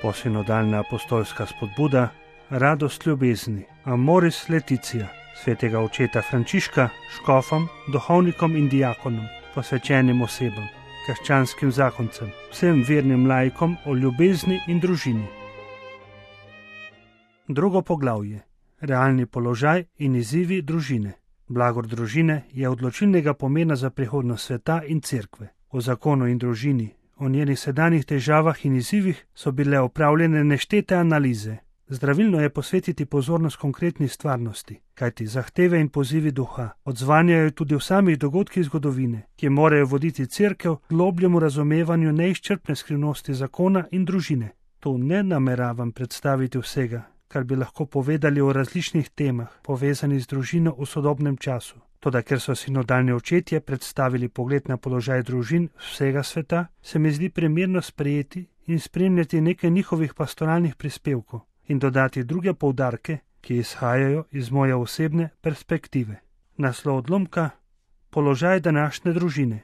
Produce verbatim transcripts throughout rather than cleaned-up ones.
Posinodalna apostolska spodbuda, radost ljubezni, Amoris Laetitia, svetega očeta Frančiška, škofom, duhovnikom in diakonom, posvečenim osebam, krščanskim zakoncem, vsem vernim laikom o ljubezni in družini. Drugo poglavje. Realni položaj in izzivi družine. Blagor družine je odločilnega pomena za prihodnost sveta in cerkve. O zakonu in družini, o njenih sedanjih težavah in izzivih so bile opravljene neštete analize. Zdravilno je posvetiti pozornost konkretni stvarnosti, kajti zahteve in pozivi duha odzvanjajo tudi v samih dogodkih zgodovine, ki morajo voditi cerkev k globljemu razumevanju neizčrpne skrivnosti zakona in družine. Tu ne nameravam predstaviti vsega, kar bi lahko povedali o različnih temah, povezanih z družino v sodobnem času. Toda ker so sinodalni očetje predstavili pogled na položaj družin vsega sveta, se mi zdi primerno sprejeti in spremljati nekaj njihovih pastoralnih prispevkov in dodati druge poudarke, ki izhajajo iz moje osebne perspektive. Naslov odlomka: Položaj današnje družine.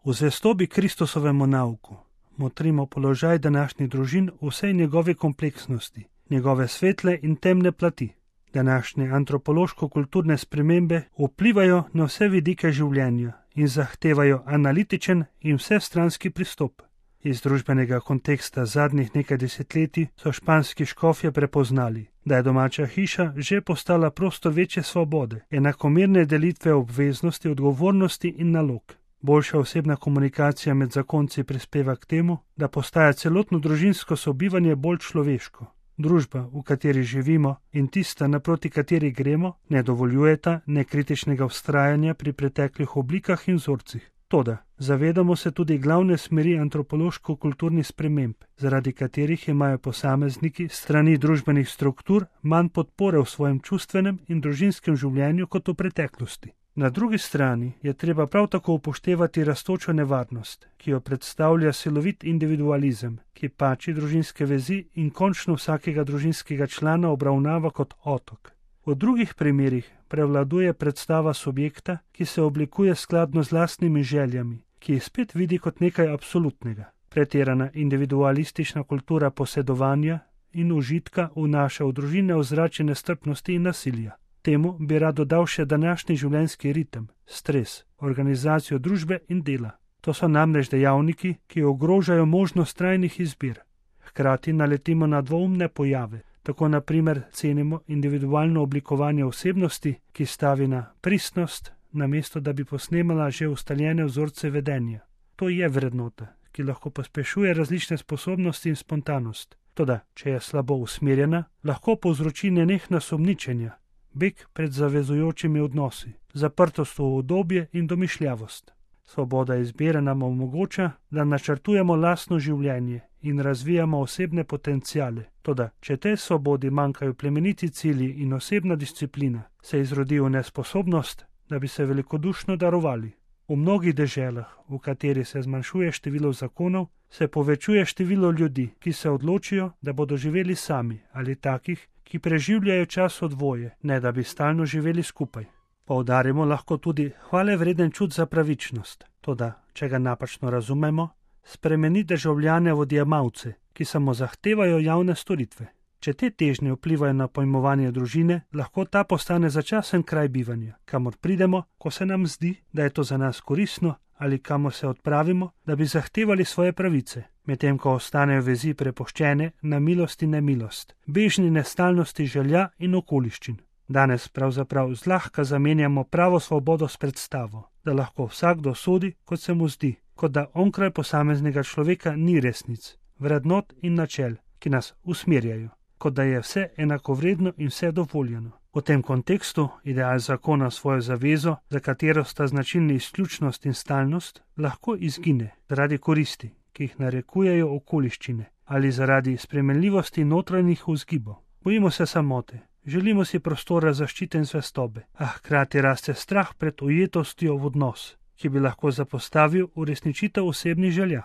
V zvestobi Kristusovemu nauku motrimo položaj današnjih družin v vsej njegovi kompleksnosti, njegove svetle in temne plati. Današnje antropološko-kulturne spremembe vplivajo na vse vidike življenja in zahtevajo analitičen in vsestranski pristop. Iz družbenega konteksta zadnjih nekaj desetletij so španski škofje prepoznali, da je domača hiša že postala prostor večje svobode, enakomerne delitve obveznosti, odgovornosti in nalog. Boljša osebna komunikacija med zakonci prispeva k temu, da postaja celotno družinsko sobivanje bolj človeško. Družba, v kateri živimo, in tista, naproti kateri gremo, ne dovoljujeta nekritičnega vztrajanja pri preteklih oblikah in vzorcih. Toda zavedamo se tudi glavne smeri antropološko-kulturnih sprememb, zaradi katerih imajo posamezniki strani družbenih struktur manj podpore v svojem čustvenem in družinskem življenju kot v preteklosti. Na drugi strani je treba prav tako upoštevati rastočo nevarnost, ki jo predstavlja silovit individualizem, ki pači družinske vezi in končno vsakega družinskega člana obravnava kot otok. V drugih primerih prevladuje predstava subjekta, ki se oblikuje skladno z lastnimi željami, ki jih spet vidi kot nekaj absolutnega. Pretirana individualistična kultura posedovanja in užitka vnaša v družine ozračje nestrpnosti in nasilja. Temu bi rad dodal še današnji življenjski ritem, stres, organizacijo družbe in dela. To so namreč dejavniki, ki ogrožajo možnost trajnih izbir. Hkrati naletimo na dvoumne pojave. Tako na primer cenimo individualno oblikovanje osebnosti, ki stavi na pristnost, namesto da bi posnemala že ustaljene vzorce vedenja. To je vrednota, ki lahko pospešuje različne sposobnosti in spontanost. Toda, če je slabo usmerjena, lahko povzroči nenehna sumničenja, beg pred zavezujočimi odnosi, zaprtost v udobje in domišljavost. Svoboda izbire nam omogoča, da načrtujemo lastno življenje in razvijamo osebne potenciale. Toda, če tej svobodi manjkajo plemeniti cilji in osebna disciplina, se izrodi v nesposobnost, da bi se velikodušno darovali. V mnogih deželah, v kateri se zmanjšuje število zakonov, se povečuje število ljudi, ki se odločijo, da bodo živeli sami ali takih, ki preživljajo čas odvoje, ne da bi stalno živeli skupaj. Poudarimo lahko tudi hvalevreden čut za pravičnost, toda, če ga napačno razumemo, spremeni državljane v odjemalce, ki samo zahtevajo javne storitve. Če te težnje vplivajo na pojmovanje družine, lahko ta postane začasen kraj bivanja, kamor pridemo, ko se nam zdi, da je to za nas koristno, ali kamor se odpravimo, da bi zahtevali svoje pravice, medtem ko ostanejo vezi prepuščene na milost in nemilost, bežni nestalnosti želja in okoliščin. Danes pravzaprav zlahka zamenjamo pravo svobodo s predstavo, da lahko vsakdo sodi, kot se mu zdi, kot da onkraj posameznega človeka ni resnic, vrednot in načel, ki nas usmerjajo, kot da je vse enakovredno in vse dovoljeno. V tem kontekstu ideal zakona svojo zavezo, za katero sta značilni izključnost in stalnost, lahko izgine zaradi koristi, ki jih narekujejo okoliščine, ali zaradi spremenljivosti notranjih vzgibov. Bojimo se samote. Želimo si prostora zaščite in zvestobe, a hkrati raste strah pred ujetostjo v odnos, ki bi lahko zapostavil uresničitev osebnih želja.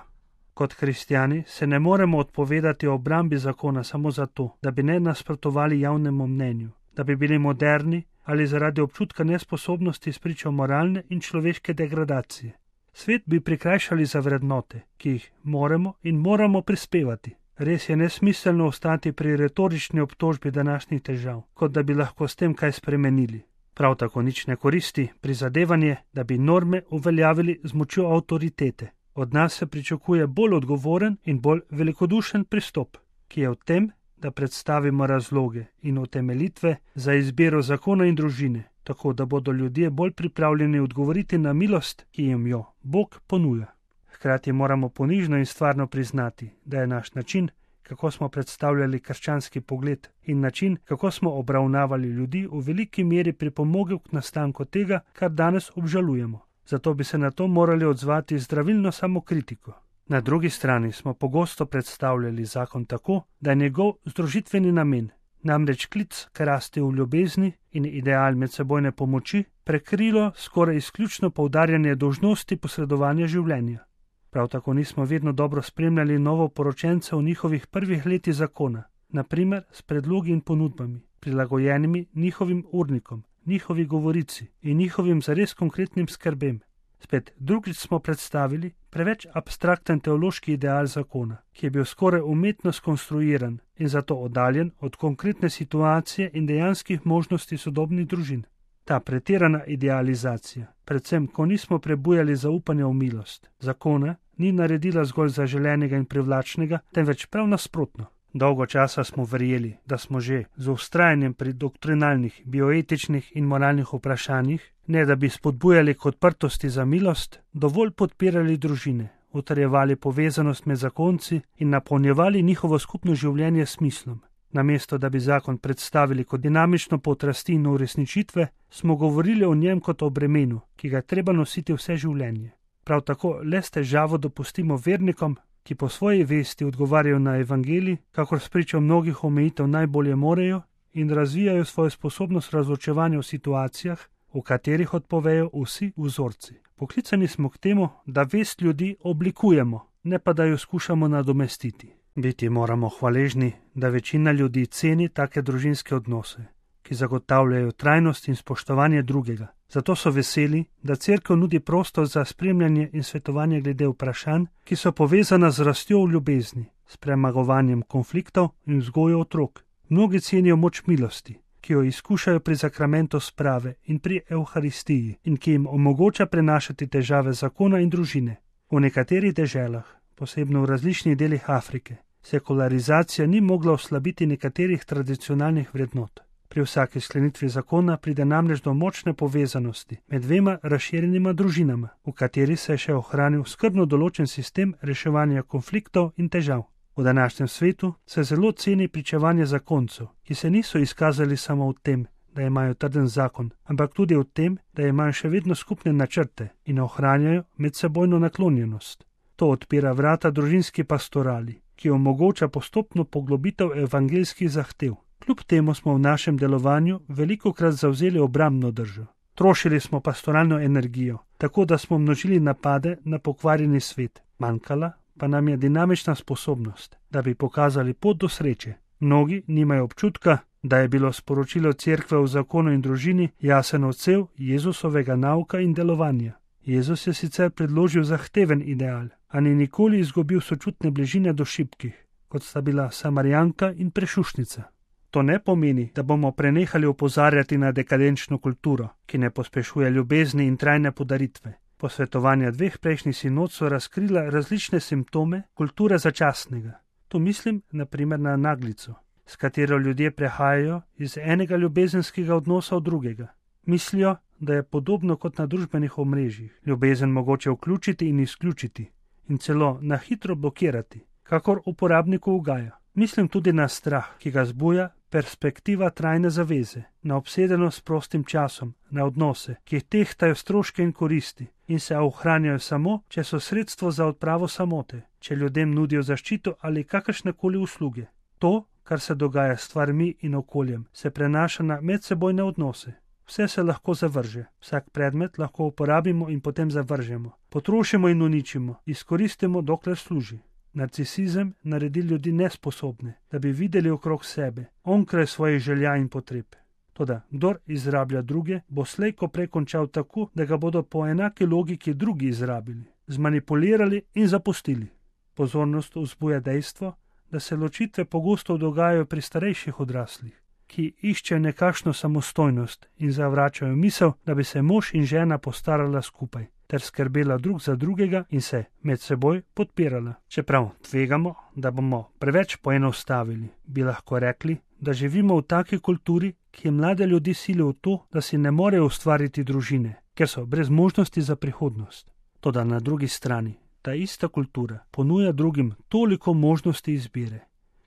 Kot kristjani se ne moremo odpovedati obrambi zakona samo zato, da bi ne nasprotovali javnemu mnenju, da bi bili moderni ali zaradi občutka nesposobnosti spričo moralne in človeške degradacije. Svet bi prikrajšali za vrednote, ki jih moramo in moramo prispevati. Res je nesmiselno ostati pri retorični obtožbi današnjih težav, kot da bi lahko s tem kaj spremenili. Prav tako nič ne koristi prizadevanje, da bi norme uveljavili z močjo avtoritete. Od nas se pričakuje bolj odgovoren in bolj velikodušen pristop, ki je v tem, da predstavimo razloge in utemeljitve za izbiro zakona in družine, tako da bodo ljudje bolj pripravljeni odgovoriti na milost, ki jim jo Bog ponuja. Hkrati moramo ponižno in stvarno priznati, da je naš način, kako smo predstavljali krščanski pogled in način, kako smo obravnavali ljudi, v veliki meri pripomogel k nastanku tega, kar danes obžalujemo. Zato bi se na to morali odzvati z zdravilno samokritiko. Na drugi strani smo pogosto predstavljali zakon tako, da je njegov združitveni namen, namreč klic k rasti v ljubezni in ideal medsebojne pomoči, prekrilo skoraj izključno poudarjanje dolžnosti posredovanja življenja. Prav tako nismo vedno dobro spremljali novoporočencev v njihovih prvih letih zakona, naprimer s predlogi in ponudbami, prilagojenimi njihovim urnikom, njihovi govorici in njihovim zares konkretnim skrbem. Spet drugič smo predstavili preveč abstrakten teološki ideal zakona, ki je bil skoraj umetno skonstruiran in zato oddaljen od konkretne situacije in dejanskih možnosti sodobnih družin. Ta pretirana idealizacija, predvsem ko nismo prebujali zaupanja v milost, zakona ni naredila zgolj zaželenega in privlačnega, temveč prav nasprotno. Dolgo časa smo verjeli, da smo že z vztrajanjem pri doktrinalnih, bioetičnih in moralnih vprašanjih, ne da bi spodbujali k odprtosti za milost, dovolj podpirali družine, utrjevali povezanost med zakonci in napolnjevali njihovo skupno življenje s smislom. Namesto da bi zakon predstavili kot dinamično pot rasti in uresničitve, smo govorili o njem kot o bremenu, ki ga treba nositi vse življenje. Prav tako le s težavo dopustimo vernikom, ki po svoji vesti odgovarjajo na evangelij, kakor spričo mnogih omejitev najbolje morejo in razvijajo svojo sposobnost razločevanja v situacijah, v katerih odpovejo vsi vzorci. Poklicani smo k temu, da vest ljudi oblikujemo, ne pa da jo skušamo nadomestiti. Biti moramo hvaležni, da večina ljudi ceni take družinske odnose, ki zagotavljajo trajnost in spoštovanje drugega. Zato so veseli, da Cerkev nudi prostor za spremljanje in svetovanje glede vprašanj, ki so povezana z rastjo v ljubezni, s premagovanjem konfliktov in vzgojo otrok. Mnogi cenijo moč milosti, ki jo izkušajo pri sakramentu sprave in pri evharistiji in ki jim omogoča prenašati težave zakona in družine. V nekaterih deželah, posebno v različnih delih Afrike, sekularizacija ni mogla oslabiti nekaterih tradicionalnih vrednot. Pri vsaki sklenitvi zakona pride namreč do močne povezanosti med dvema razširjenima družinama, v kateri se je še ohranil skrbno določen sistem reševanja konfliktov in težav. V današnjem svetu se zelo ceni pričevanje zakoncev, ki se niso izkazali samo v tem, da imajo trden zakon, ampak tudi v tem, da imajo še vedno skupne načrte in ohranjajo medsebojno naklonjenost. To odpira vrata družinski pastorali, ki omogoča postopno poglobitev evangeljskih zahtev. Kljub temu smo v našem delovanju velikokrat zavzeli obrambno držo. Trošili smo pastoralno energijo, tako da smo množili napade na pokvarjeni svet. Manjkala pa nam je dinamična sposobnost, da bi pokazali pot do sreče. Mnogi nimajo občutka, da je bilo sporočilo Cerkve v zakonu in družini jasen odsev Jezusovega nauka in delovanja. Jezus je sicer predložil zahteven ideal, a ni nikoli izgubil sočutne bližine do šibkih, kot sta bila Samarijanka in prešušnica. To ne pomeni, da bomo prenehali opozarjati na dekadenčno kulturo, ki ne pospešuje ljubezni in trajne podaritve. Posvetovanja dveh prejšnjih sinod so razkrila različne simptome kulture začasnega. Tu mislim na primer na naglico, s katero ljudje prehajajo iz enega ljubezenskega odnosa v drugega. Mislijo, da je podobno kot na družbenih omrežjih, ljubezen mogoče vključiti in izključiti in celo na hitro blokirati, kakor uporabniku ugaja. Mislim tudi na strah, ki ga zbuja perspektiva trajne zaveze, na obsedenost s prostim časom, na odnose, ki jih tehtajo stroške in koristi in se ohranjajo samo, če so sredstvo za odpravo samote, če ljudem nudijo zaščito ali kakršnekoli usluge. To, kar se dogaja s stvarmi in okoljem, se prenaša na medsebojne odnose. Vse se lahko zavrže, vsak predmet lahko uporabimo in potem zavržemo. Potrošimo in uničimo, izkoristimo, dokler služi. Narcisizem naredi ljudi nesposobne, da bi videli okrog sebe, onkraj svojih želja in potreb. Toda, kdor izrablja druge, bo slej ko prej končal tako, da ga bodo po enaki logiki drugi izrabili, zmanipulirali in zapustili. Pozornost vzbuja dejstvo, da se ločitve pogosto dogajajo pri starejših odraslih, ki iščejo nekakšno samostojnost in zavračajo misel, da bi se mož in žena postarala skupaj, ter skrbela drug za drugega in se med seboj podpirala. Čeprav tvegamo, da bomo preveč poenostavili, bi lahko rekli, da živimo v taki kulturi, ki mlade ljudi sili v to, da si ne morejo ustvariti družine, ker so brez možnosti za prihodnost. Toda na drugi strani, ta ista kultura ponuja drugim toliko možnosti izbire,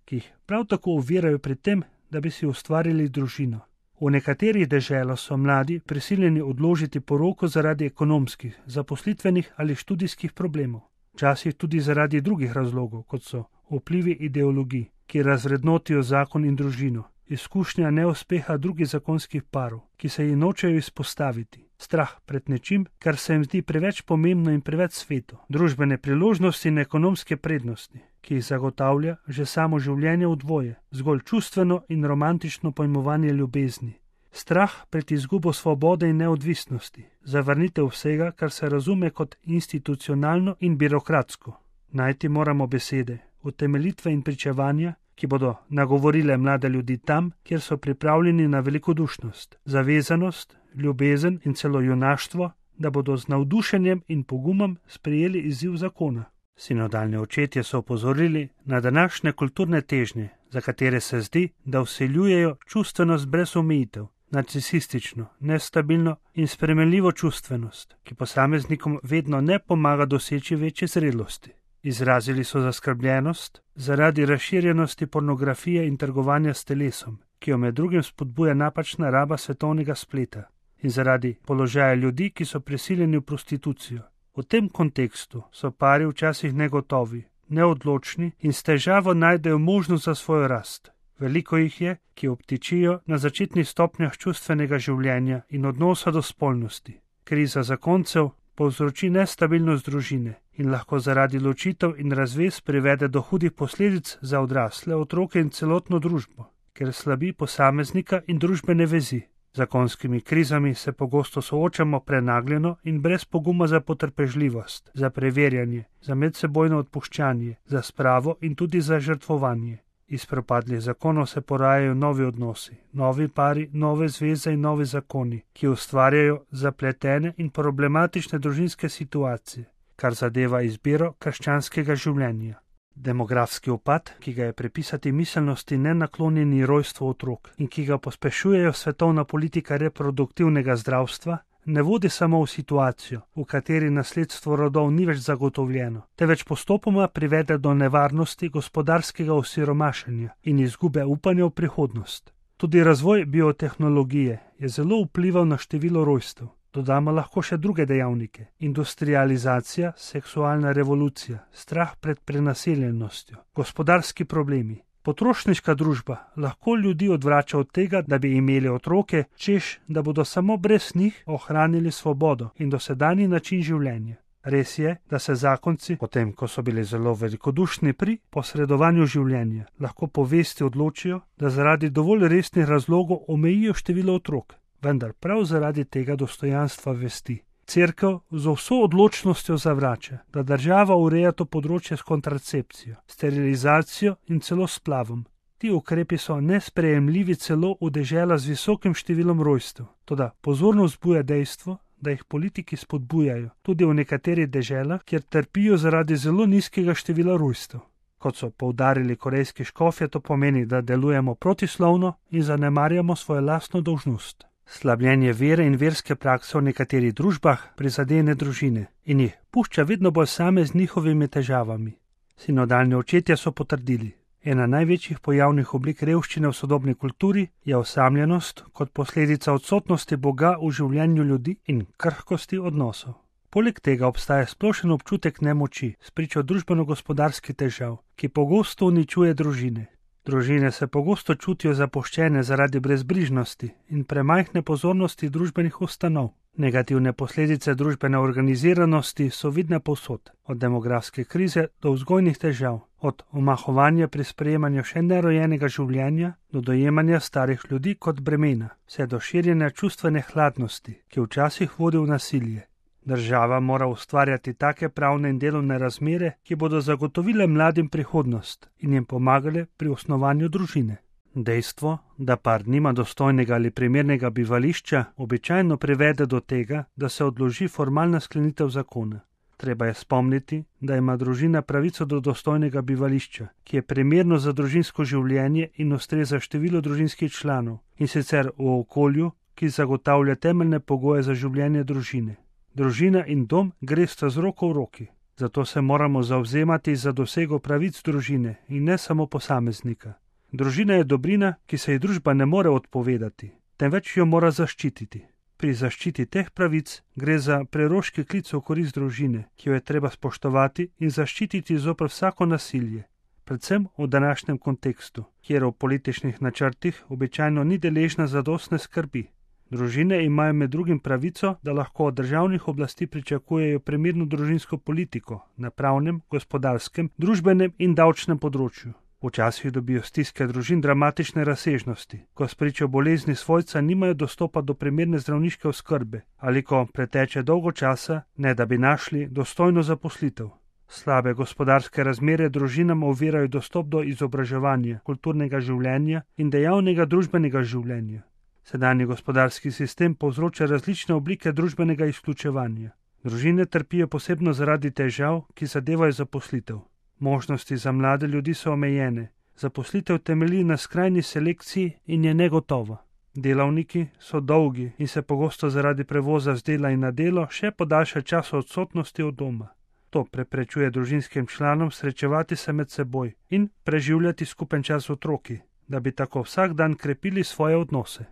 ki jih prav tako ovirajo pri tem, da bi si ustvarili družino. V nekaterih deželah so mladi prisiljeni odložiti poroko zaradi ekonomskih, zaposlitvenih ali študijskih problemov, včasih tudi zaradi drugih razlogov, kot so vplivi ideologij, ki razvrednotijo zakon in družino, izkušnja neuspeha drugih zakonskih parov, ki se ji nočejo izpostaviti, strah pred nečim, kar se jim zdi preveč pomembno in preveč sveto, družbene priložnosti in ekonomske prednosti, ki jih zagotavlja že samo življenje v dvoje, zgolj čustveno in romantično pojmovanje ljubezni, strah pred izgubo svobode in neodvisnosti, zavrnitev vsega, kar se razume kot institucionalno in birokratsko. Najti moramo besede, utemeljitve in pričevanja, ki bodo nagovorile mlade ljudi tam, kjer so pripravljeni na velikodušnost, zavezanost, ljubezen in celo junaštvo, da bodo z navdušenjem in pogumom sprejeli izziv zakona. Sinodalni očetje so opozorili na današnje kulturne težnje, za katere se zdi, da vseljujejo čustvenost brez omejitev, narcisistično, nestabilno in spremenljivo čustvenost, ki posameznikom vedno ne pomaga doseči večje zrelosti. Izrazili so zaskrbljenost zaradi razširjenosti pornografije in trgovanja s telesom, ki jo med drugim spodbuja napačna raba svetovnega spleta, in zaradi položaja ljudi, ki so prisiljeni v prostitucijo. V tem kontekstu so pari včasih negotovi, neodločni in s težavo najdejo možnost za svojo rast. Veliko jih je, ki obtičijo na začetnih stopnjah čustvenega življenja in odnosa do spolnosti. Kriza zakoncev povzroči nestabilnost družine in lahko zaradi ločitev in razvez privede do hudih posledic za odrasle, otroke in celotno družbo, ker slabi posameznika in družbene vezi. Zakonskimi krizami se pogosto soočamo prenagljeno in brez poguma za potrpežljivost, za preverjanje, za medsebojno odpuščanje, za spravo in tudi za žrtvovanje. Iz propadlih zakonov se porajajo novi odnosi, novi pari, nove zveze in novi zakoni, ki ustvarjajo zapletene in problematične družinske situacije, kar zadeva izbiro krščanskega življenja. Demografski upad, ki ga je pripisati miselnosti nenaklonjeni rojstvu otrok in ki ga pospešujejo svetovna politika reproduktivnega zdravstva, ne vodi samo v situacijo, v kateri nasledstvo rodov ni več zagotovljeno, teveč postopoma privede do nevarnosti gospodarskega osiromašenja in izgube upanja v prihodnost. Tudi razvoj biotehnologije je zelo vplival na število rojstev. Dodamo lahko še druge dejavnike: industrializacija, seksualna revolucija, strah pred prenaseljenostjo, gospodarski problemi. Potrošniška družba lahko ljudi odvrača od tega, da bi imeli otroke, češ, da bodo samo brez njih ohranili svobodo in dosedanji način življenja. Res je, da se zakonci, potem ko so bili zelo velikodušni pri posredovanju življenja, lahko po vesti odločijo, da zaradi dovolj resnih razlogov omejijo število otrok. Vendar prav zaradi tega dostojanstva vesti Cerkev z vso odločnostjo zavrača, da država ureja to področje s kontracepcijo, sterilizacijo in celo splavom. Ti ukrepi so nesprejemljivi celo v deželah z visokim številom rojstev, toda pozorno vzbuja dejstvo, da jih politiki spodbujajo tudi v nekaterih deželah, kjer trpijo zaradi zelo nizkega števila rojstev. Kot so poudarili korejski škofje, to pomeni, da delujemo protislovno in zanemarjamo svojo lastno dolžnost. Slabljenje vere in verske prakse v nekaterih družbah prizadene družine in jih pušča vedno bolj same z njihovimi težavami. Sinodalni očetje so potrdili: ena največjih pojavnih oblik revščine v sodobni kulturi je osamljenost kot posledica odsotnosti Boga v življenju ljudi in krhkosti odnosov. Poleg tega obstaja splošen občutek nemoči spričo družbeno-gospodarskih težav, ki pogosto uničuje družine. Družine se pogosto čutijo zapuščene zaradi brezbrižnosti in premajhne pozornosti družbenih ustanov. Negativne posledice družbene organiziranosti so vidne povsod, od demografske krize do vzgojnih težav, od omahovanja pri sprejemanju še nerojenega življenja do dojemanja starih ljudi kot bremena, vse do širjenja čustvene hladnosti, ki včasih vodi v nasilje. Država mora ustvarjati take pravne in delovne razmere, ki bodo zagotovile mladim prihodnost in jim pomagale pri osnovanju družine. Dejstvo, da par nima dostojnega ali primernega bivališča, običajno privede do tega, da se odloži formalna sklenitev zakona. Treba je spomniti, da ima družina pravico do dostojnega bivališča, ki je primerno za družinsko življenje in ustreza številu družinskih članov, in sicer v okolju, ki zagotavlja temeljne pogoje za življenje družine. Družina in dom gresta z roko v roki, zato se moramo zavzemati za dosego pravic družine in ne samo posameznika. Družina je dobrina, ki se ji družba ne more odpovedati, temveč jo mora zaščititi. Pri zaščiti teh pravic gre za preroški klic v korist družine, ki jo je treba spoštovati in zaščititi zoper vsako nasilje, predvsem v današnjem kontekstu, kjer v političnih načrtih običajno ni deležna zadostne skrbi. Družine imajo med drugim pravico, da lahko od državnih oblasti pričakujejo primerno družinsko politiko na pravnem, gospodarskem, družbenem in davčnem področju. Včasih dobijo stiske družin dramatične razsežnosti, ko spričo bolezni svojca nimajo dostopa do primerne zdravniške oskrbe ali ko preteče dolgo časa, ne da bi našli dostojno zaposlitev. Slabe gospodarske razmere družinam ovirajo dostop do izobraževanja, kulturnega življenja in dejavnega družbenega življenja. Sedanji gospodarski sistem povzroča različne oblike družbenega izključevanja. Družine trpijo posebno zaradi težav, ki zadevajo zaposlitev. Možnosti za mlade ljudi so omejene, zaposlitev temelji na skrajni selekciji in je negotova. Delavniki so dolgi in se pogosto zaradi prevoza z dela in na delo še podaljša čas odsotnosti od doma. To preprečuje družinskim članom srečevati se med seboj in preživljati skupen čas z otroki, da bi tako vsak dan krepili svoje odnose.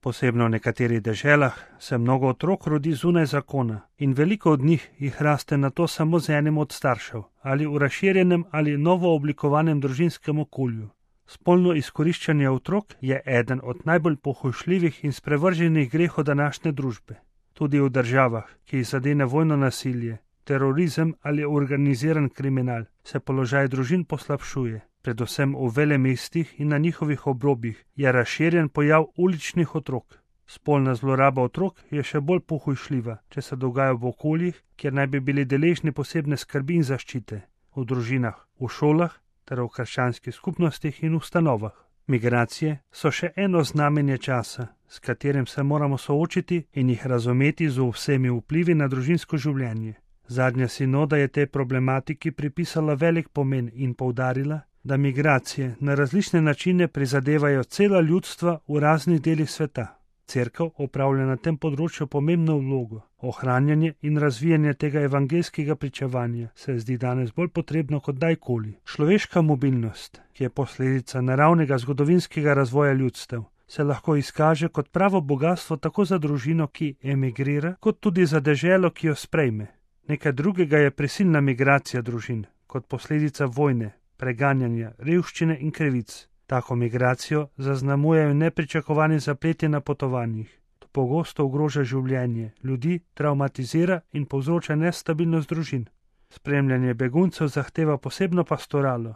Posebno v nekaterih deželah se mnogo otrok rodi zunaj zakona in veliko od njih jih raste na to samo z enim od staršev ali v razširjenem ali novo oblikovanem družinskem okolju. Spolno izkoriščanje otrok je eden od najbolj pohujšljivih in sprevrženih grehov današnje družbe. Tudi v državah, ki jih zadene vojno nasilje, terorizem ali organiziran kriminal, se položaj družin poslabšuje. Predvsem v velemestih in na njihovih obrobjih je razširjen pojav uličnih otrok. Spolna zloraba otrok je še bolj pohujšljiva, če se dogaja v okoljih, kjer naj bi bili deležni posebne skrbi in zaščite, v družinah, v šolah ter v krščanskih skupnostih in ustanovah. Migracije so še eno znamenje časa, s katerim se moramo soočiti in jih razumeti z vsemi vplivi na družinsko življenje. Zadnja sinoda je tej problematiki pripisala velik pomen in poudarila, da migracije na različne načine prizadevajo cela ljudstva v raznih delih sveta. Cerkev opravlja na tem področju pomembno vlogo. Ohranjanje in razvijanje tega evangeljskega pričevanja se zdi danes bolj potrebno kot dajkoli. Človeška mobilnost, ki je posledica naravnega zgodovinskega razvoja ljudstev, se lahko izkaže kot pravo bogastvo tako za družino, ki emigrira, kot tudi za deželo, ki jo sprejme. Nekaj drugega je prisilna migracija družin, kot posledica vojne, preganjanja, revščine in krivic. Tako migracijo zaznamujejo nepričakovani zapleti na potovanjih. To pogosto ogroža življenje ljudi, traumatizira in povzroča nestabilnost družin. Spremljanje beguncev zahteva posebno pastoralo,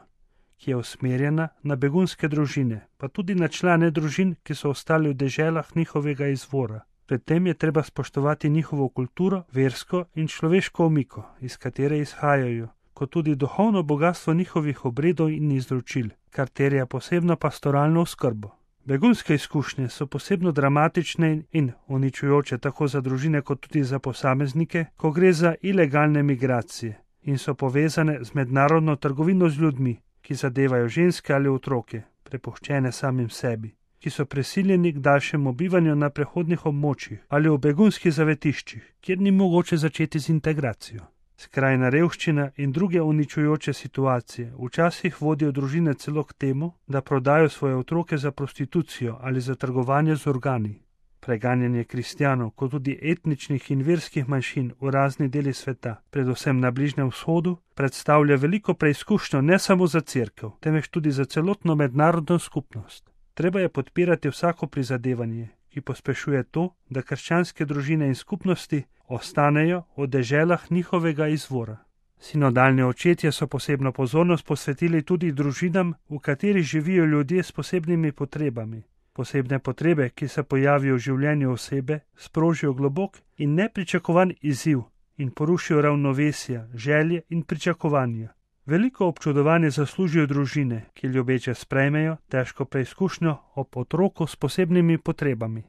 ki je usmerjena na begunske družine, pa tudi na člane družin, ki so ostali v deželah njihovega izvora. Pred tem je treba spoštovati njihovo kulturo, versko in človeško omiko, iz katere izhajajo, kot tudi duhovno bogatstvo njihovih obredov in izročil, kar terja posebno pastoralno oskrbo. Begunske izkušnje so posebno dramatične in uničujoče tako za družine kot tudi za posameznike, ko gre za ilegalne migracije in so povezane z mednarodno trgovino z ljudmi, ki zadevajo ženske ali otroke, prepuščene samim sebi, ki so prisiljeni k daljšemu bivanju na prehodnih območjih ali v begunskih zavetiščih, kjer ni mogoče začeti z integracijo. Skrajna revščina in druge uničujoče situacije včasih vodijo družine celo k temu, da prodajo svoje otroke za prostitucijo ali za trgovanje z organi. Preganjanje kristjanov, kot tudi etničnih in verskih manjšin v raznih delih sveta, predvsem na Bližnjem vzhodu, predstavlja veliko preizkušnjo ne samo za cerkev, temveč tudi za celotno mednarodno skupnost. Treba je podpirati vsako prizadevanje, ki pospešuje to, da krščanske družine in skupnosti ostanejo v deželah njihovega izvora. Sinodalni očetje so posebno pozornost posvetili tudi družinam, v katerih živijo ljudje s posebnimi potrebami. Posebne potrebe, ki se pojavijo v življenju osebe, sprožijo globok in nepričakovan izziv in porušijo ravnovesja, želje in pričakovanja. Veliko občudovanje zaslužijo družine, ki ljubeče sprejmejo težko preizkušnjo ob otroku s posebnimi potrebami.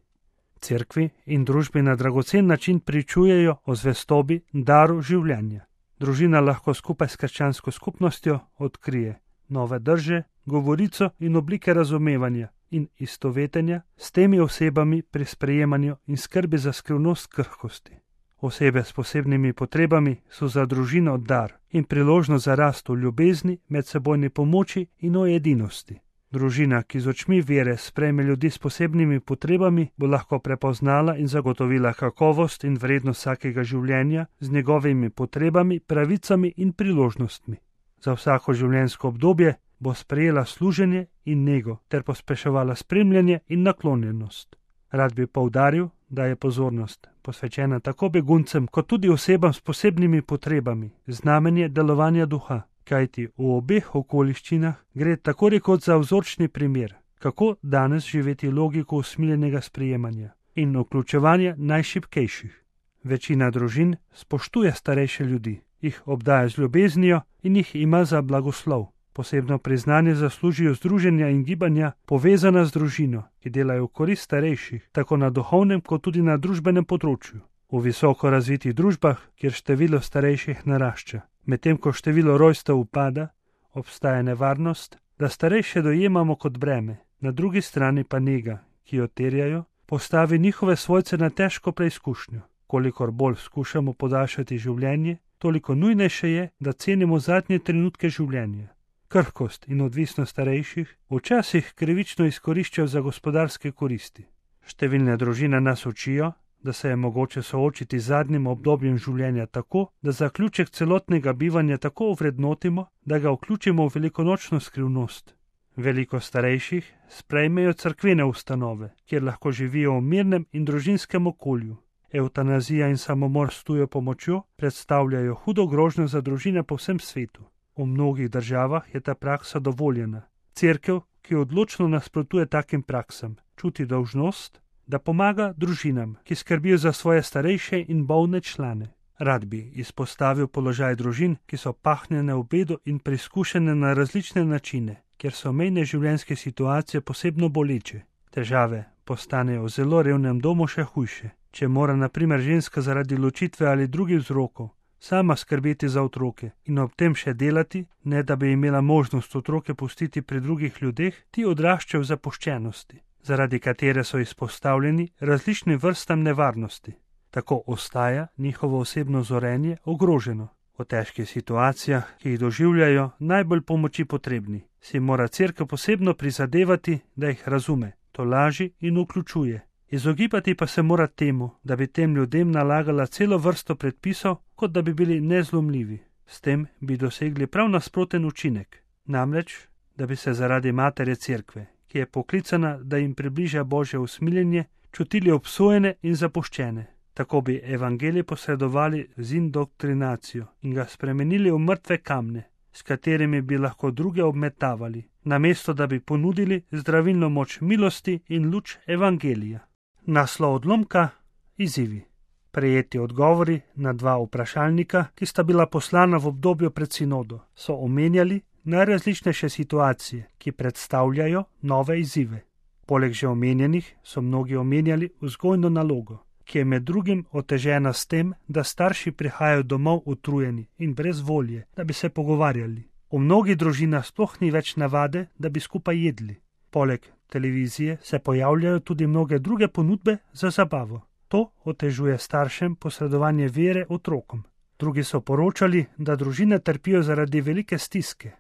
Cerkvi in družbi na dragocen način pričujejo o zvestobi daru življenja. Družina lahko skupaj s krščansko skupnostjo odkrije nove drže, govorico in oblike razumevanja in istovetenja s temi osebami pri sprejemanju in skrbi za skrivnost krhkosti. Osebe s posebnimi potrebami so za družino dar in priložnost za rast v ljubezni, medsebojni pomoči in o edinosti. Družina, ki z očmi vere sprejme ljudi s posebnimi potrebami, bo lahko prepoznala in zagotovila kakovost in vrednost vsakega življenja z njegovimi potrebami, pravicami in priložnostmi. Za vsako življenjsko obdobje bo sprejela služenje in nego ter pospeševala spremljanje in naklonjenost. Rad bi poudaril, da je pozornost posvečena tako beguncem kot tudi osebam s posebnimi potrebami, znamenje delovanja duha, kajti v obeh okoliščinah gre tako rekoč za vzorčni primer, kako danes živeti logiko usmiljenega sprejemanja in vključevanja najšibkejših. Večina družin spoštuje starejše ljudi, jih obdaja z ljubeznijo in jih ima za blagoslov. Posebno priznanje zaslužijo združenja in gibanja povezana z družino, ki delajo v korist starejših, tako na duhovnem kot tudi na družbenem področju. V visoko razvitih družbah, kjer število starejših narašča, medtem ko število rojstev upada, obstaja nevarnost, da starejše dojemamo kot breme, na drugi strani pa nega, ki jo terjajo, postavi njihove svojce na težko preizkušnjo. Kolikor bolj skušamo podaljšati življenje, toliko nujnejše je, da cenimo zadnje trenutke življenja. Krhkost in odvisnost starejših včasih krivično izkoriščajo za gospodarske koristi. Številne družine nas učijo, da se je mogoče soočiti z zadnjim obdobjem življenja tako, da zaključek celotnega bivanja tako ovrednotimo, da ga vključimo v velikonočno skrivnost. Veliko starejših sprejmejo cerkvene ustanove, kjer lahko živijo v mirnem in družinskem okolju. Evtanazija in samomor s tujo pomočjo predstavljajo hudo grožnjo za družine po vsem svetu. V mnogih državah je ta praksa dovoljena. Cerkev, ki odločno nasprotuje takim praksam, čuti dolžnost, da pomaga družinam, ki skrbijo za svoje starejše in bolne člane. Rad bi izpostavil položaj družin, ki so pahnjene v bedo in preizkušene na različne načine, kjer so mejne življenjske situacije posebno boleče. Težave postanejo v zelo revnem domu še hujše, če mora na primer ženska zaradi ločitve ali drugih vzrokov sama skrbeti za otroke in ob tem še delati, ne da bi imela možnost otroke pustiti pri drugih ljudeh, ti odraščajo v zapuščenosti, zaradi katere so izpostavljeni različnim vrstam nevarnosti. Tako ostaja njihovo osebno zorenje ogroženo. V težkih situacijah, ki jih doživljajo najbolj pomoči potrebni, si mora cerkev posebno prizadevati, da jih razume, tolaži in vključuje. Izogibati pa se mora temu, da bi tem ljudem nalagala celo vrsto predpisov, kot da bi bili nezlomljivi. S tem bi dosegli prav nasproten učinek, namreč, da bi se zaradi matere cerkve, ki je poklicana, da jim približa Božje usmiljenje, čutili obsojene in zapuščene. Tako bi evangelij posredovali z indoktrinacijo in ga spremenili v mrtve kamne, s katerimi bi lahko druge obmetavali, namesto da bi ponudili zdravilno moč milosti in luč evangelija. Naslov odlomka: izzivi. Prejeti odgovori na dva vprašalnika, ki sta bila poslana v obdobju pred sinodo, so omenjali najrazličnejše situacije, ki predstavljajo nove izzive. Poleg že omenjenih so mnogi omenjali vzgojno nalogo, ki je med drugim otežena s tem, da starši prihajajo domov utrujeni in brez volje, da bi se pogovarjali. V mnogih družinah sploh ni več navade, da bi skupaj jedli. Poleg televizije se pojavljajo tudi mnoge druge ponudbe za zabavo. To otežuje staršem posredovanje vere otrokom. Drugi so poročali, da družine trpijo zaradi velike stiske.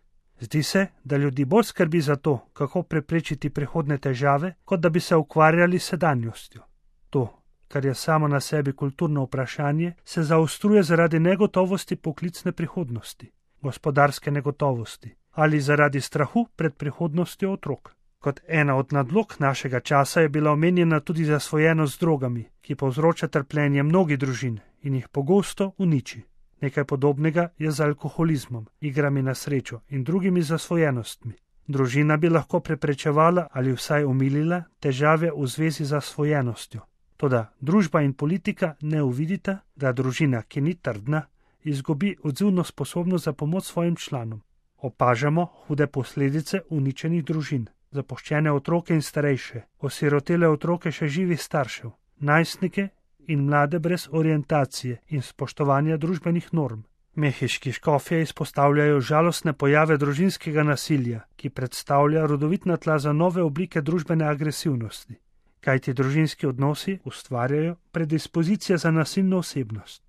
Zdi se, da ljudi bolj skrbi za to, kako preprečiti prihodne težave, kot da bi se ukvarjali s sedanjostjo. To, kar je samo na sebi kulturno vprašanje, se zaostruje zaradi negotovosti poklicne prihodnosti, gospodarske negotovosti ali zaradi strahu pred prihodnostjo otrok. Kot ena od nadlog našega časa je bila omenjena tudi zasvojenost z drogami, ki povzroča trpljenje mnogih družin in jih pogosto uniči. Nekaj podobnega je z alkoholizmom, igrami na srečo in drugimi zasvojenostmi. Družina bi lahko preprečevala ali vsaj omilila težave v zvezi z zasvojenostjo. Toda družba in politika ne uvidita, da družina, ki ni trdna, izgubi odzivno sposobnost za pomoč svojim članom. Opažamo hude posledice uničenih družin, zapuščene otroke in starejše, osirotele otroke še živih staršev, najstnike in mlade brez orientacije in spoštovanja družbenih norm. Mehiški škofje izpostavljajo žalostne pojave družinskega nasilja, ki predstavlja rodovitna tla za nove oblike družbene agresivnosti, kajti družinski odnosi ustvarjajo predispozicije za nasilno osebnost.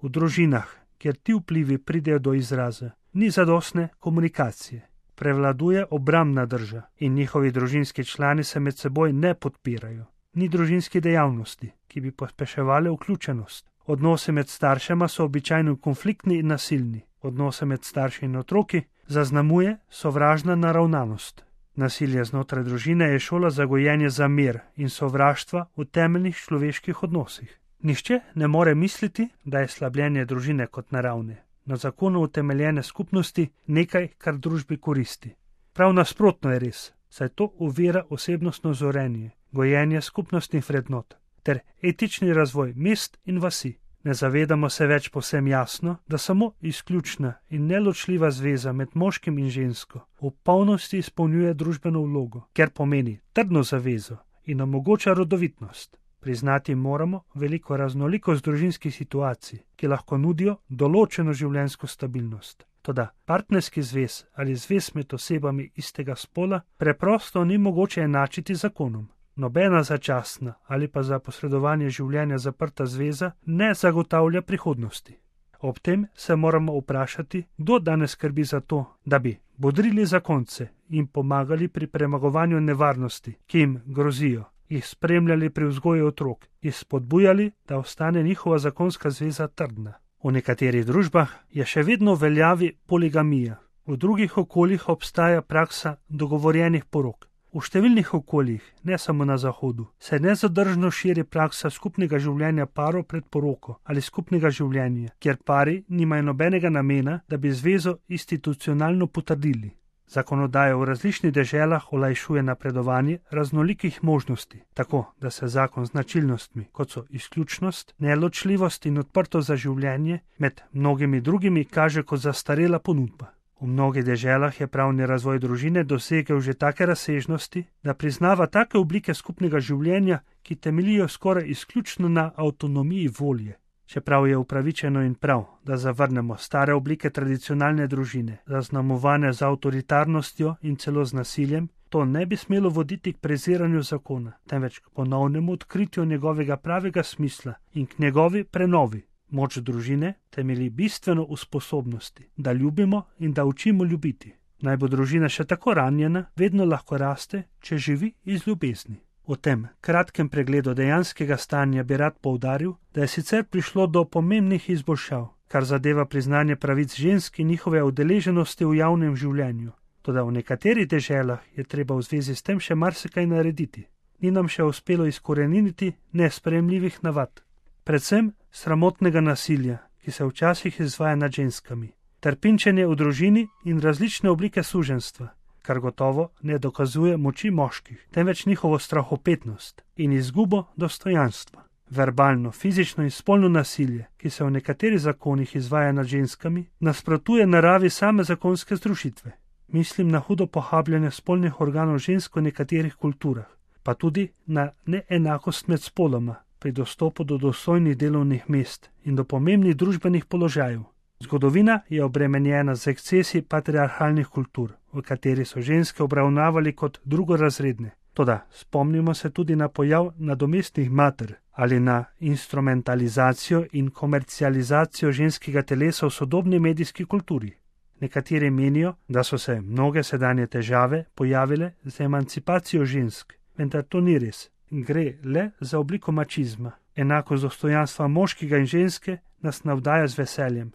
V družinah, kjer ti vplivi pridejo do izraza, ni zadostne komunikacije, prevladuje obrambna drža in njihovi družinski člani se med seboj ne podpirajo. Ni družinski dejavnosti, ki bi pospeševale vključenost. Odnose med staršema so običajno konfliktni in nasilni. Odnose med starši in otroki zaznamuje sovražna naravnanost. Nasilje znotraj družine je šola za gojenje za mir in sovraštva v temeljnih človeških odnosih. Nihče ne more misliti, da je slabljenje družine kot naravne, na zakonu utemeljene skupnosti nekaj, kar družbi koristi. Prav nasprotno je res, saj to ovira osebnostno zorenje, gojenje skupnostnih vrednot ter etični razvoj mest in vasi. Ne zavedamo se več povsem jasno, da samo izključna in neločljiva zveza med moškim in žensko v polnosti izpolnjuje družbeno vlogo, ker pomeni trdno zavezo in omogoča rodovitnost. Priznati moramo veliko raznolikost družinskih situacij, ki lahko nudijo določeno življenjsko stabilnost. Toda partnerski zvez ali zvez med osebami istega spola preprosto ni mogoče enačiti z zakonom. Nobena začasna ali pa za posredovanje življenja zaprta zveza ne zagotavlja prihodnosti. Ob tem se moramo vprašati, kdo danes skrbi za to, da bi bodrili zakonce in pomagali pri premagovanju nevarnosti, ki jim grozijo, jih spremljali pri vzgoji otrok, jih spodbujali, da ostane njihova zakonska zveza trdna. V nekaterih družbah je še vedno v veljavi poligamija, v drugih okoljih obstaja praksa dogovorjenih porok. V številnih okoljih, ne samo na Zahodu, se nezadržno širi praksa skupnega življenja parov pred poroko ali skupnega življenja, kjer pari nimajo nobenega namena, da bi zvezo institucionalno potrdili. Zakonodaja v različnih deželah olajšuje napredovanje raznolikih možnosti, tako da se zakon z značilnostmi, kot so izključnost, neločljivost in odprtost za življenje, med mnogimi drugimi kaže kot zastarela ponudba. V mnogih deželah je pravni razvoj družine dosegel že take razsežnosti, da priznava take oblike skupnega življenja, ki temeljijo skoraj izključno na avtonomiji volje. Čeprav je upravičeno in prav, da zavrnemo stare oblike tradicionalne družine, zaznamovane z avtoritarnostjo in celo z nasiljem, to ne bi smelo voditi k preziranju zakona, temveč k ponovnemu odkritju njegovega pravega smisla in k njegovi prenovi. Moč družine temelji bistveno v sposobnosti, da ljubimo in da učimo ljubiti. Naj bo družina še tako ranjena, vedno lahko raste, če živi iz ljubezni. V tem kratkem pregledu dejanskega stanja bi rad poudaril, da je sicer prišlo do pomembnih izboljšav, kar zadeva priznanje pravic žensk in njihove udeleženosti v javnem življenju. Toda v nekaterih deželah je treba v zvezi s tem še marsikaj narediti. Ni nam še uspelo izkoreniniti nesprejemljivih navad. Predvsem sramotnega nasilja, ki se včasih izvaja nad ženskami, trpinčenje v družini in različne oblike suženjstva, kar gotovo ne dokazuje moči moških, temveč njihovo strahopetnost in izgubo dostojanstva. Verbalno, fizično in spolno nasilje, ki se v nekaterih zakonih izvaja nad ženskami, nasprotuje naravi same zakonske združitve. Mislim na hudo pohabljanje spolnih organov žensk v nekaterih kulturah, pa tudi na neenakost med spoloma pri dostopu do dostojnih delovnih mest in do pomembnih družbenih položajev. Zgodovina je obremenjena z ekscesi patriarhalnih kultur, v kateri so ženske obravnavali kot drugorazredne. Toda spomnimo se tudi na pojav nadomestnih mater ali na instrumentalizacijo in komercializacijo ženskega telesa v sodobni medijski kulturi. Nekateri menijo, da so se mnoge sedanje težave pojavile z emancipacijo žensk, vendar to ni res. Gre le za obliko mačizma. Enako z dostojanstva moškega in ženske nas navdaja z veseljem,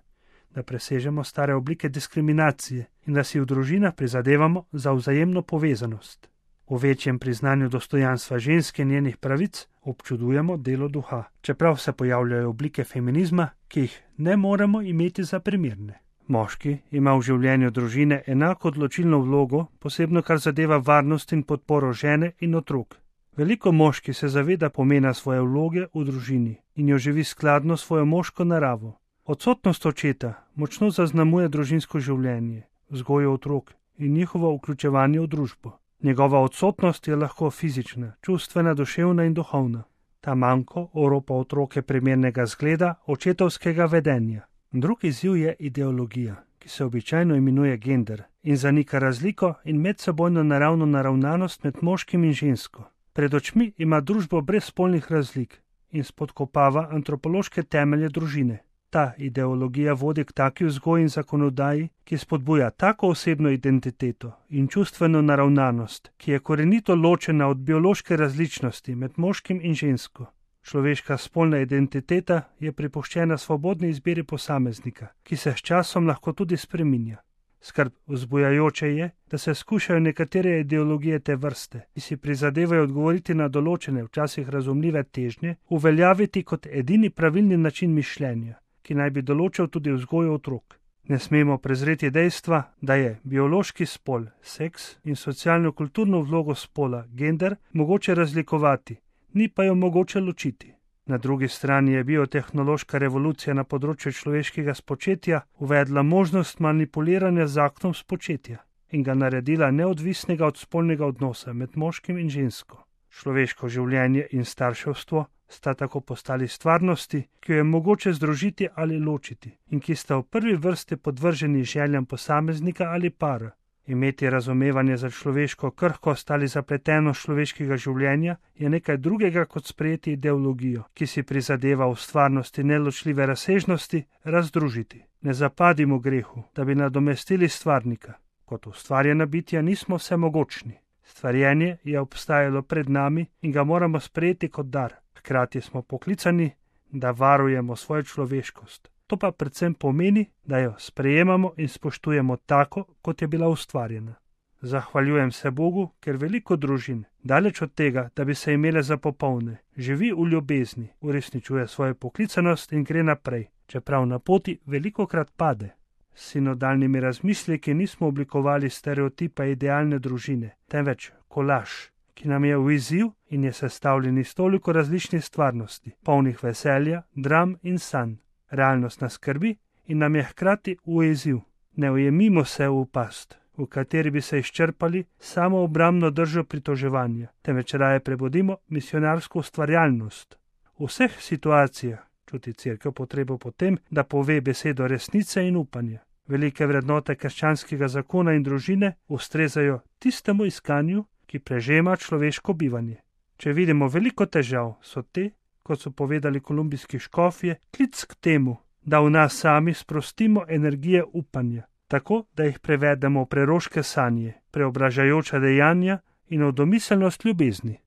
da presežemo stare oblike diskriminacije in da si v družinah prizadevamo za vzajemno povezanost. V večjem priznanju dostojanstva ženske in njenih pravic občudujemo delo duha, čeprav se pojavljajo oblike feminizma, ki jih ne moremo imeti za primerne. Moški ima v življenju družine enako odločilno vlogo, posebno kar zadeva varnost in podporo žene in otrok. Veliko moški se zaveda pomena svoje vloge v družini in jo živi skladno s svojo moško naravo. Odsotnost očeta močno zaznamuje družinsko življenje, vzgojo otrok in njihovo vključevanje v družbo. Njegova odsotnost je lahko fizična, čustvena, duševna in duhovna. Ta manko oropa otroke primernega zgleda očetovskega vedenja. Drugi izziv je ideologija, ki se običajno imenuje gender in zanika razliko in medsebojno naravno naravnanost med moškim in žensko. Pred očmi ima družbo brez spolnih razlik in spodkopava antropološke temelje družine. Ta ideologija vodi k taki vzgoji in zakonodaji, ki spodbuja tako osebno identiteto in čustveno naravnanost, ki je korenito ločena od biološke različnosti med moškim in žensko. Človeška spolna identiteta je prepuščena svobodni izbiri posameznika, ki se s časom lahko tudi spreminja. Skrb vzbujajoče je, da se skušajo nekatere ideologije te vrste, ki si prizadevajo odgovoriti na določene, včasih razumljive težnje, uveljaviti kot edini pravilni način mišljenja, ki naj bi določal tudi vzgojo otrok. Ne smemo prezreti dejstva, da je biološki spol, seks in socialno-kulturno vlogo spola, gender, mogoče razlikovati, ni pa jo mogoče ločiti. Na drugi strani je biotehnološka revolucija na področju človeškega spočetja uvedla možnost manipuliranja z aktom spočetja in ga naredila neodvisnega od spolnega odnosa med moškim in žensko. Človeško življenje in starševstvo sta tako postali stvarnosti, ki jo je mogoče združiti ali ločiti in ki sta v prvi vrsti podvrženi željam posameznika ali para. Imeti razumevanje za človeško krhkost ali zapletenost človeškega življenja je nekaj drugega kot sprejeti ideologijo, ki si prizadeva v stvarnosti neločljive razsežnosti razdružiti. Ne zapadimo grehu, da bi nadomestili stvarnika. Kot ustvarjena bitja nismo vsemogočni. Stvarjenje je obstajalo pred nami in ga moramo sprejeti kot dar. Hkrati smo poklicani, da varujemo svojo človeškost. To pa predvsem pomeni, da jo sprejemamo in spoštujemo tako, kot je bila ustvarjena. Zahvaljujem se Bogu, ker veliko družin, daleč od tega, da bi se imele za popolne, živi v ljubezni, uresničuje svojo poklicanost in gre naprej, čeprav na poti velikokrat pade. S sinodalnimi razmisleki nismo oblikovali stereotipa idealne družine, temveč kolaž, ki nam je v izziv in je sestavljen iz toliko različnih stvarnosti, polnih veselja, dram in sanj. Realnost nas skrbi in nam je hkrati v izziv. Ne ujemimo se v past, v kateri bi se izčrpali samo obrambno držo pritoževanja, temveč raje prebudimo misionarsko ustvarjalnost. V vseh situacijah čuti Cerkev potrebo po tem, da pove besedo resnice in upanja. Velike vrednote krščanskega zakona in družine ustrezajo tistemu iskanju, ki prežema človeško bivanje. Če vidimo veliko težav, so te, kot so povedali kolumbijski škofje, klic k temu, da v nas sami sprostimo energije upanja, tako da jih prevedemo v preroške sanje, preobražajoča dejanja in v domiselnost ljubezni.